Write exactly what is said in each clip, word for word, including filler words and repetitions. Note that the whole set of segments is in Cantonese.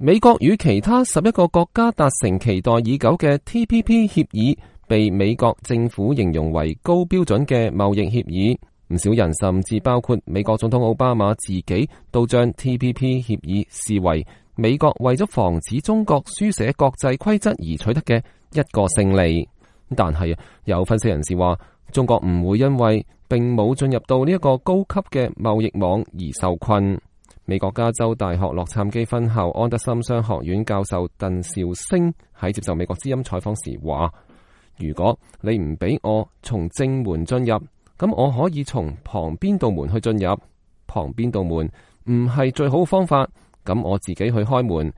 美國與其他十一個國家達成期待已久嘅 T P P 協議，被美國政府形容為高標準嘅貿易協議。唔少人甚至包括美國總統奧巴馬自己，都將 T P P 協議視為美國為咗防止中國書寫國際規則而取得嘅一個勝利。但係有分析人士話，中國唔會因為並冇進入到呢一個高級嘅貿易網而受困。美國加州大學洛杉磯分校安德森商學院教授鄧兆星喺接受美國之音採訪時話，如果你唔俾我從正門進入，咁我可以從旁邊道門去進入。旁邊道門唔係最好嘅方法，咁我自己去開門，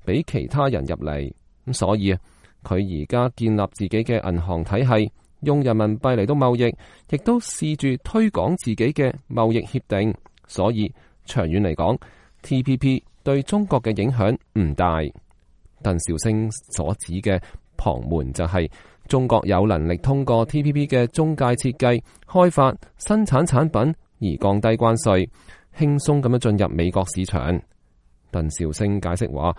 俾其他人入嚟。咁所以佢而家建立自己嘅銀行體系，用人民幣嚟到貿易，亦都試住推廣自己嘅貿易協定。所以長遠嚟講 ，T P P 對中國嘅影響唔大。鄧兆星所指嘅旁門就係中國有能力通過 T P P 嘅中介設計、開發、生產產品而降低關稅，輕鬆咁樣進入美國市場。鄧兆星解釋話，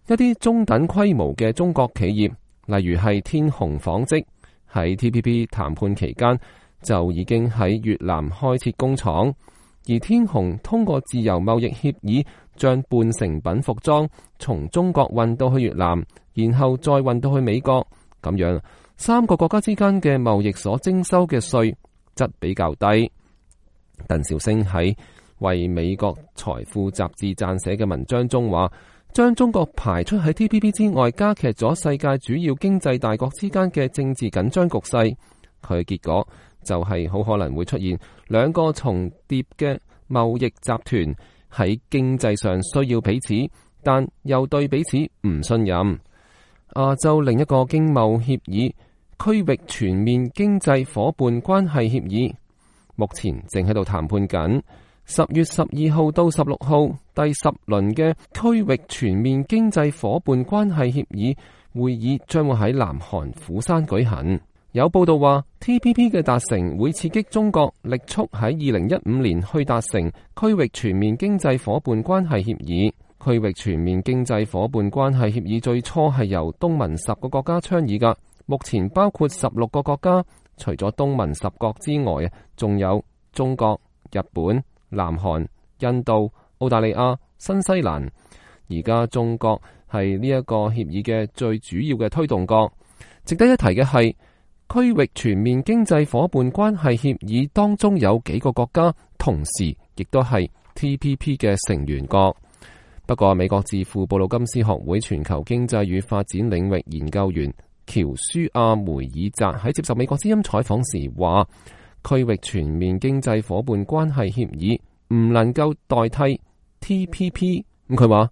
一啲中等規模嘅中國企業，例如係天虹紡織，喺 T P P 談判期間就已經喺越南開設工廠。而天虹通過自由貿易協議，將半成品服裝從中國運到去越南，然後再運到去美國。咁樣三個國家之間嘅貿易所徵收嘅稅則比較低。鄧兆星喺為美國財富雜誌撰寫嘅文章中話，將中國排出喺 T P P 之外，加劇咗世界主要經濟大國之間嘅政治緊張局勢。佢嘅結果就係好可能會出現兩個重疊嘅貿易集團，喺經濟上需要彼此，但又對彼此唔信任。亞洲另一個經貿協議區域全面經濟夥伴關係協議，目前正喺度談判緊。十月十二號到十六號第十輪嘅區域全面經濟夥伴關係協議會議將會喺南韓釜山舉行。有報道話 T P P 嘅達成會刺激中國力促喺二零一五年去達成區域全面經濟夥伴關係協議。區域全面經濟夥伴關係協議最初係由東盟十個國家倡議㗎，目前包括十六個國家，除咗東盟十國之外，仲有中國、日本、南韓、印度、澳大利亞、新西蘭。而家中國係呢一個協議嘅最主要嘅推動國。值得一提嘅係，區域全面經濟夥伴關係協議當中有幾個國家同時亦都係 T P P 嘅成員國。不過美國智庫布魯金斯學會全球經濟與發展領域研究員喬舒亞梅爾澤喺接受美國之音採訪時話，區域全面經濟夥伴關係協議唔能夠代替 T P P。咁佢話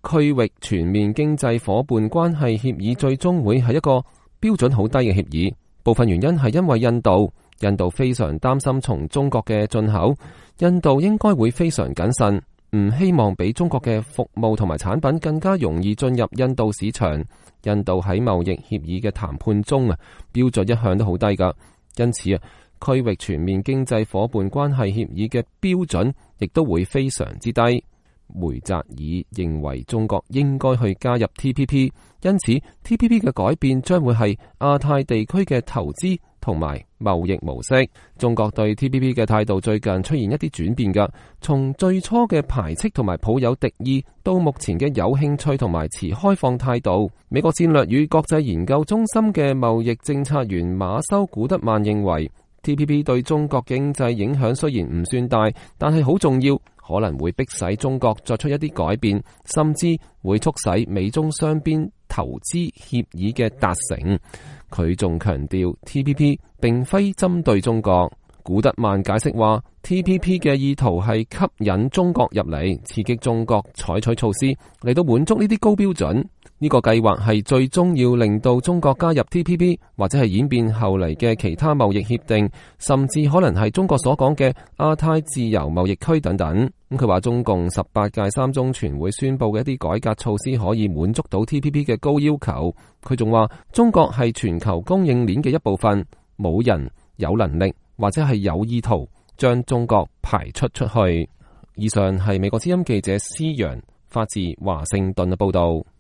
區域全面經濟夥伴關係協議最終會係一個標準好低嘅協議。部分原因係因為印度，印度非常擔心從中國嘅進口，印度應該會非常謹慎，唔希望比中國嘅服務同埋產品更加容易進入印度市場。印度喺貿易協議嘅談判中啊，標準一向都好低噶，因此啊，區域全面經濟夥伴關係協議嘅標準亦都會非常之低。梅澤爾認為中國應該去加入 T P P， 因此 T P P 嘅改變將會係亞太地區嘅投資同埋貿易模式。中國對 T P P 嘅態度最近出現一啲轉變㗎，從最初嘅排斥同埋抱有敵意，到目前嘅有興趣同埋持開放態度。美國戰略與國際研究中心嘅貿易政策員馬修古德曼認為，T P P 對中國經濟影響雖然唔算大，但係好重要。可能會迫使中國作出一啲改變，甚至會促使美中雙邊投資協議嘅達成。佢仲強調 T P P 並非針對中國。古德曼解釋話 T P P 嘅意圖係吸引中國入嚟，刺激中國採取措施嚟到滿足呢啲高標準。呢個計劃係最終要令到中國加入 T P P， 或者係演變後嚟嘅其他貿易協定，甚至可能係中國所講嘅亞太自由貿易區等等。咁佢話中共十八屆三中全會宣布嘅一啲改革措施可以滿足到 T P P 嘅高要求。佢仲話中國係全球供應鏈嘅一部分，冇人有能力或者係有意圖將中國排出出去。以上係美國之音記者施陽發自華盛頓嘅報道。